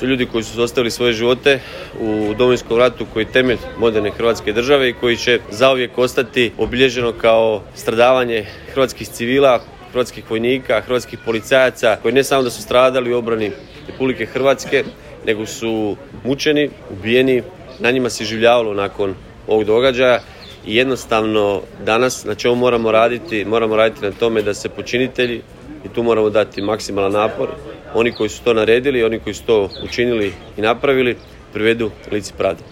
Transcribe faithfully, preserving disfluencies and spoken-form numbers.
su ljudi koji su ostavili svoje živote u Domovinskom ratu koji je temelj moderne Hrvatske države i koji će zauvijek ostati obilježeno kao stradavanje hrvatskih civila, hrvatskih vojnika, hrvatskih policajaca koji ne samo da su stradali u obrani Republike Hrvatske, nego su mučeni, ubijeni, na njima se življavalo nakon ovog događaja i jednostavno danas na čemu moramo raditi, moramo raditi na tome da se počinitelji, i tu moramo dati maksimalan napor, oni koji su to naredili, oni koji su to učinili i napravili, privedu licu pravde.